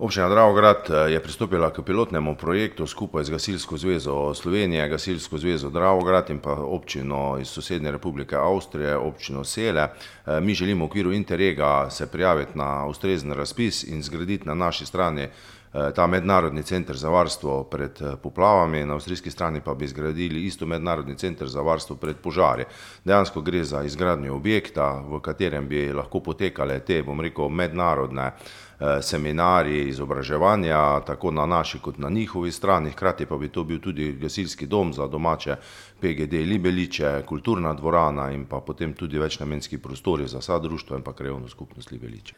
Občina Dravograd je pristopila k pilotnemu projektu skupaj z Gasilsko zvezo Slovenije, Gasilsko zvezo Dravograd in pa občino iz sosednje Republike Avstrije, občino Sele. Mi želimo v okviru Interrega se prijaviti na ustrezen razpis in zgraditi na naši strani ta mednarodni center za varstvo pred poplavami, na avstrijski strani pa bi zgradili isto mednarodni center za varstvo pred požari. Dejansko gre za izgradnjo objekta, v katerem bi lahko potekale te, mednarodne seminarji, izobraževanja, tako na naši kot na njihovi strani, hkrati pa bi to bil tudi gasilski dom za domače PGD Libeliče, kulturna dvorana in pa potem tudi večnamenski prostori za vsa društva in pa krajevno skupnost Libeliče.